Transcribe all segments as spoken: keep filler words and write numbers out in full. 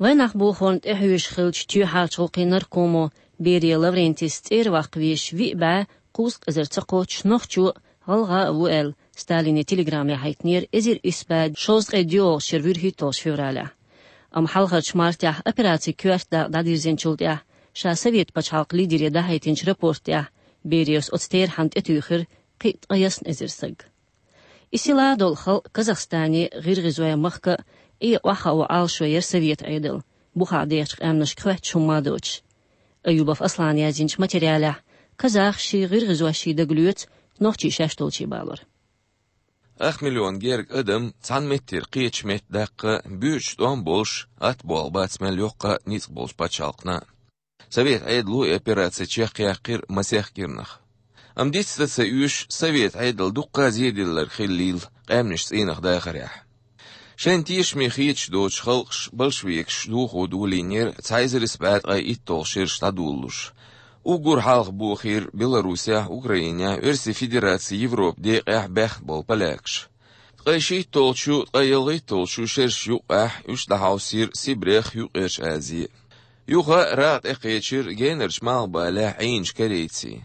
Вайнах бохорна тӀехьоьжуш хиллачу тоьхьарчу гӀуллакхийн наркомо Берия Лаврентийс цӀера ваккха везаш виъ бӀаь кхузткъа эзар ца кхоччуш нохчо а, гӀалгӀа а ву аьлла, Сталине телеграмма яхьийтинера эзар исс бӀаь шовзткъе доьалгӀачу шеран вуьрхӀитталгӀачу февралехь. Амма хьалхарчу мартехь операцин коьрта дакъа дӀадирзинчул тӀаьхьа ша Совет пачхьалкхан лидере дахьийтинчу рапорта тӀехь Берияс оцу терахьна тӀетуьйхира кхин а ткъе ялх эзар саг. И сийлахь долу халкъ Казахстане, ГӀиргӀизойн махка а, Ӏе охьахаа Ӏалашо яра Совет Ӏедал, бухахь дехачу къаьмнашка хоьттуш хӀумма а доцуш. Аюбов Аслана яздинчу материалехь казахашший, гӀиргӀизошший дагалоьцу нохчий шаьш долчу балор. Ах миллион герга адам цхьана меттера кхечу метта даккха буьйцуш тӀом болуш, атта болх бац мел йоккха а, ницкъ болчу пачхьалкхана. Совет Ӏедало и операци чекхъяьккхира масех кӀирнах. Амма диц дан ца оьшуш, Совет Ӏедал дуккха а зеделларг хиллийла къаьмнаш цӀийнах дахарехь. Шайна тешаме хеташ доцу халкъаш большевикаш дохо долийнера цхьа эзар исс бӀаь ткъе итталгӀа шераш дӀадолалуш. Уггар хьалха бохийра Беларусехь, Украинехь, Оьрсийн Федерацин Европан декъехь баьхна болу полякаш. Ткъе шийтталгӀачу, ткъе ялхитталгӀачу шерашна юккъехь уьш дӀахьовсийра Сибрех, Юккъерчу Азе. Юха рагӀ тӀекхечира генарчу малхбалехь Ӏийначу корейцийн.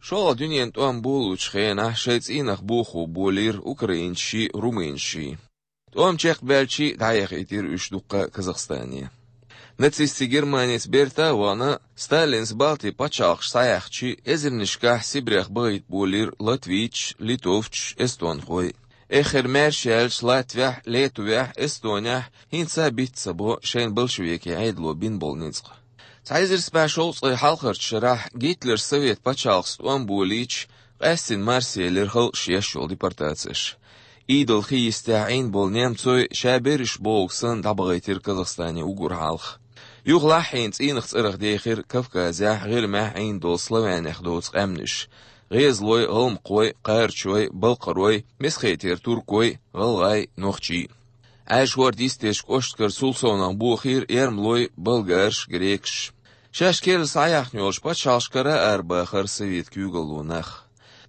ШолгӀа дуьненан тӀом болалучу хенахь шайн цӀийнах бохо болийра украинцашший, румынашший. ТӀом чекхбаьлча дӀаяхийтира уьш дуккха а Казахстане. Нацистийн Германица берта а вахана, Сталинс Балтийн пачхьалкхаш схьаяьхча, эзарнашкахь Сибрех бахийта болийра латвийцаш, литовцаш, эстонхой. Эххар маьрша яьлча, Латвехь, Литвехь, Эстонехь хӀинца а биц ца бо шайна большевикийн Ӏедало бина болу ницкъ. Цхьа эзар исс бӀаь шовзткъе хьалхарчу шарахь Гитлерс Совет пачхьалкхаца тӀом болийча, къаьстина марсаелира халкъаш еш йолу депортацеш. Идал хи йистехь Ӏийна болу немцой ша берриш бохург санна дӀабахийтира Казахстане уггар хьалха. Юха лаххьийна цӀийнах цӀарах дехира Кавказехь, ГӀирмехь Ӏийна долу славянех доцу къаьмнаш: гӀезалой, гӀалмакхой, кхарачой, балкхарой, Месхетера туркой, гӀалгӀай, нохчий. Ӏаьржа хӀорда йистечу кӀошташкара цул совнаха бохийра эрмалой, болгараш, грекаш. Шаьш керла схьаяьхна йолчу пачхьалкхашкара а арабахара совет куьйгалло нах.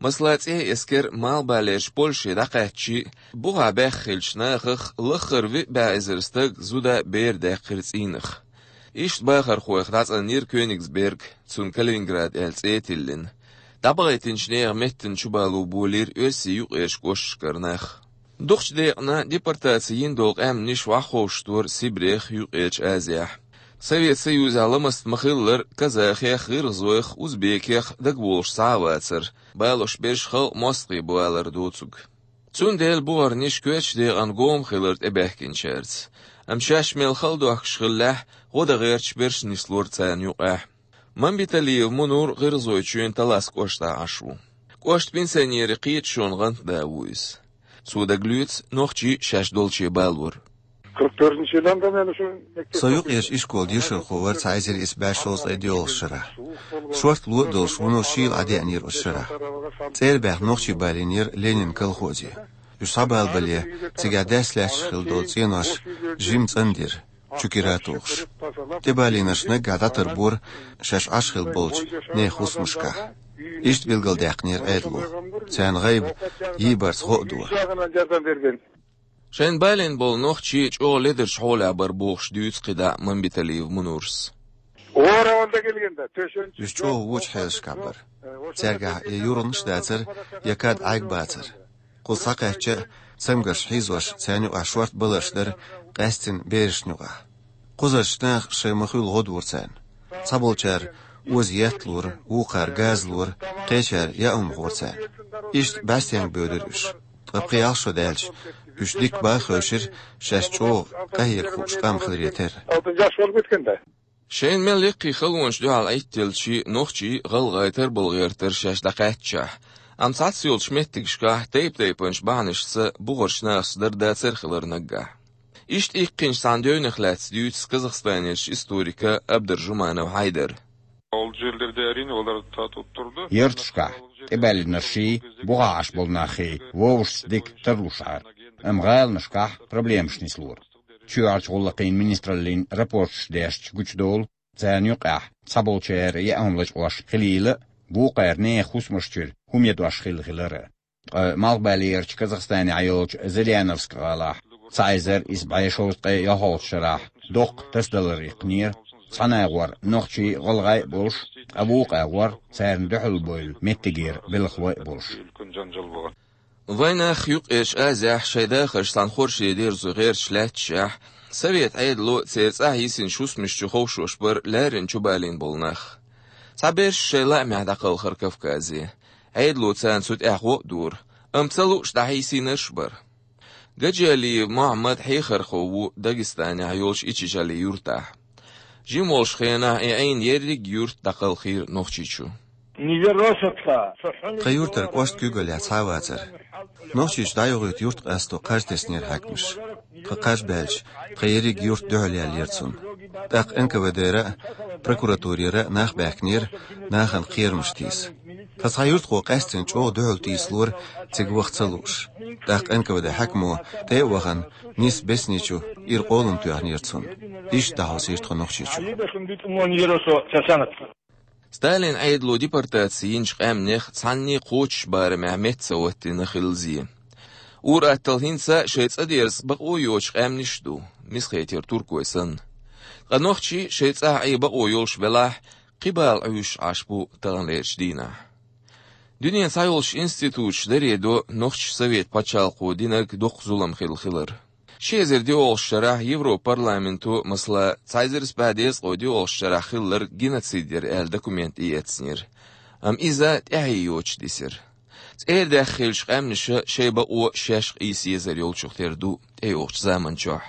Масала, ЦӀен эскар малхбалерчу Польше дӀакхаьчча, бухахь баьхна хиллачу нахах лаххара виъ бӀе эзар стаг, зуда а, бер а даьккхира цӀийнах. Иштта бахархойх дӀацӀанйира Кёнигсберг, цунна Калининград аьлла цӀе а тиллина. ДӀабахийтинчу нехан меттана чубало болийра Оьрсийн юккъерчу кӀошташкара нах. Дукхачу декъана депортаци йина долу къаьмнаш охьаховшадора Сибрех, Юккъерчу Азехь. Совет Союзехь ламаст ма-хиллара, казахех, гӀиргӀазойх, узбекех дагаволуш цхьа а вацара, балош берш халкъ мостагӀий бу алар доцург. Цундела бухарниш коьртачу декъана гома хилира тӀебаьхкинчаьрца. Амма шаьш мел хала дохкуш хиллехь, гӀо дан гӀерташ берш нислора царна юкъахь. Мамбеталиев Мунур ГӀиргӀазойчоьнан Талас кӀоштахь Ӏаш ву. КӀоштан пенсионерийн кхеташонан гӀантда ву иза. Цо дагалоьцу нохчий шаьш долчу балор. Со юкъерчу ишколан дешархо вара цхьа эзар исс бӀе шовзткъе доьалгӀачу шарахь. Шорта ло а долуш, вуно шийла Ӏадеанера оцу шарахь. ЦӀера баьхна нохчий балийнера Ленинан колхозе. Уьш схьабалабале, цигахь даьсса лаьтташ хилла долу цӀенош жимма цӀандира, чу кира а тухуш. ТӀебалийнарш наггахь дӀатарбора шаьш Ӏаш хилла болчу нехан хӀусамашкахь. Иштта билгалдаьккхинера Ӏедало. Царна гӀайба йийбарца гӀо а до. Шайна балийна болу нохчий чӀогӀа ледарчу хьолехь бара бохуш дуьйцу кхидӀа Мамбеталиев Мунурс. Уьш чӀогӀа вочу хьелашкахь бара. Цаьргахь я юргӀанаш дацара, я кад Ӏайг бацара. Кхуза схьакхаьчча а, цамгарш хьийзош, царна юкъахь шорта баларш дара, къаьстина берашна юкъахь. Кхузарчу наха шайн ма-хуьллу гӀо дора царна. Цхьаболчара оза етталора, вукхара газалора, кхечара яа хӀума хора царна. Иштта бӀаьстенга боьдура уьш. Ткъа пхи-ялх шо даьлча, уьш дика бан а хевшира, шаьш чӀогӀа къахьега хууш къам хиларе терра. Шайна мел яккхий халонаш дуьхьал Ӏиттелчий, нохчий, гӀалгӀай тарбала гӀертара шаьш дӀакхаьччахь, амма цхьацца йолчу меттигашкахь тайп-тайпанчу бахьанашца бухарчу нахаца дара дацара хилар наггахь. Иштта иккхинчу цхьана девнах лаьцна дуьйцу Казахстанерчу историка Абдаржуманов Хьайдара. Ол жерлерде, әрине, олар татып тұрды. Ярташкахь тӀебаьллинарший, бухахь Ӏаш болу наххий вовшашца дика тарлушара. Амма гӀаланашкахь проблемаш нислора. Чоьхьарчу гӀуллакхийн министраллин рапорташ дешча гучудолу, царна юкъахь цхьаболчара яа хӀума лачкъош хилийла а, вукхара нехан хӀусамаш чуьра хӀума ядош хилла хилар а. Ткъа малхбалерчу Казахстане йолчу Зыряновск гӀалахь Цхьа эзар исс бӀе шовзткъе ялхолгӀачу шарахь доккха тасадалар иккхинера, цхьана агӀор нохчий, гӀалгӀай а болуш, ткъа вукху агӀор царна дуьхьал бевлла меттигера белхалой а болуш. Вайнах Юккъерчу Азехь шайн дахарш цхьана хорше дерзо гӀерташ лаьтташехь, совет Ӏедало церан цӀахь йисина шусмаш чу ховшош бара лаьррина чубалийна болу нах. Цхьаберш шайн лаамехь дӀакхалхара Кавказе. Ӏедало царна цу тӀехь гӀо а дора, амма ца лууш дӀахьийсийнарш а бара. Гаджиалиев Мухьаммад хьехархо ву Дагестанехь йолчу Ичичали юьртахь. Жима волчу хенахь и Ӏийна ерриг а юрт дӀакхалхийра Нохчийчу. Тхан юьртара кӀошт куьйгаллехь цхьа а вацара. Нохчийчу дӀайохуьйту юрт къасто кхаж теснера хьаькамаш. Тхан кхаж баьлча, тхан ерриг а юрт дуьхьал яьллера цунна. ТӀаккха Н К В Д-ра а, прокуратурера а нах баьхкинера, нахана кхерамаш тийса. Тхан цхьа юьртахо къаьсттина чӀогӀа дуьхьал тийсалора, цига ваха ца лууш. ТӀаккха Н К В Д хьаькамо тӀе а вахана, нисса Бесничу ира къолам тоьхнера цунна. Иштта дӀахьовсийра тхо Нохчийчу. Сталин Ӏедало депортаци йинчу къаьмнех цхьанне кхочуш барамехь метта ца хӀоттийна хилла зе. Ур-атталла хӀинца а шайн цӀа дерза бакъо йоцуш къаьмнаш а ду, мисхетера туркой санна. Ткъа нохчий шайн цӀахь Ӏе бакъо йолуш велахь, кхин бала Ӏуьйшуш Ӏаш бу таханлерчу дийнахь. Дуьненан цхьайолчу институташа даре до нохчийн совет пачхьалкхо динарг доккха зулам хилла хилар. Ши эзар диъолгӀачу шарахь Европа парламенто, масала, цхьа эзар исс бӀе дезткъе диъолгӀачу шарахь хилларг геноцид яра аьлла документ тӀеэцнера. Амма иза тӀаьхье йоцуш дисира. ЦӀера даьхна хиллачу къаьмнаша шайн бакъо шаьш къийса езар йолчух тера ду тӀейогӀучу заман чохь.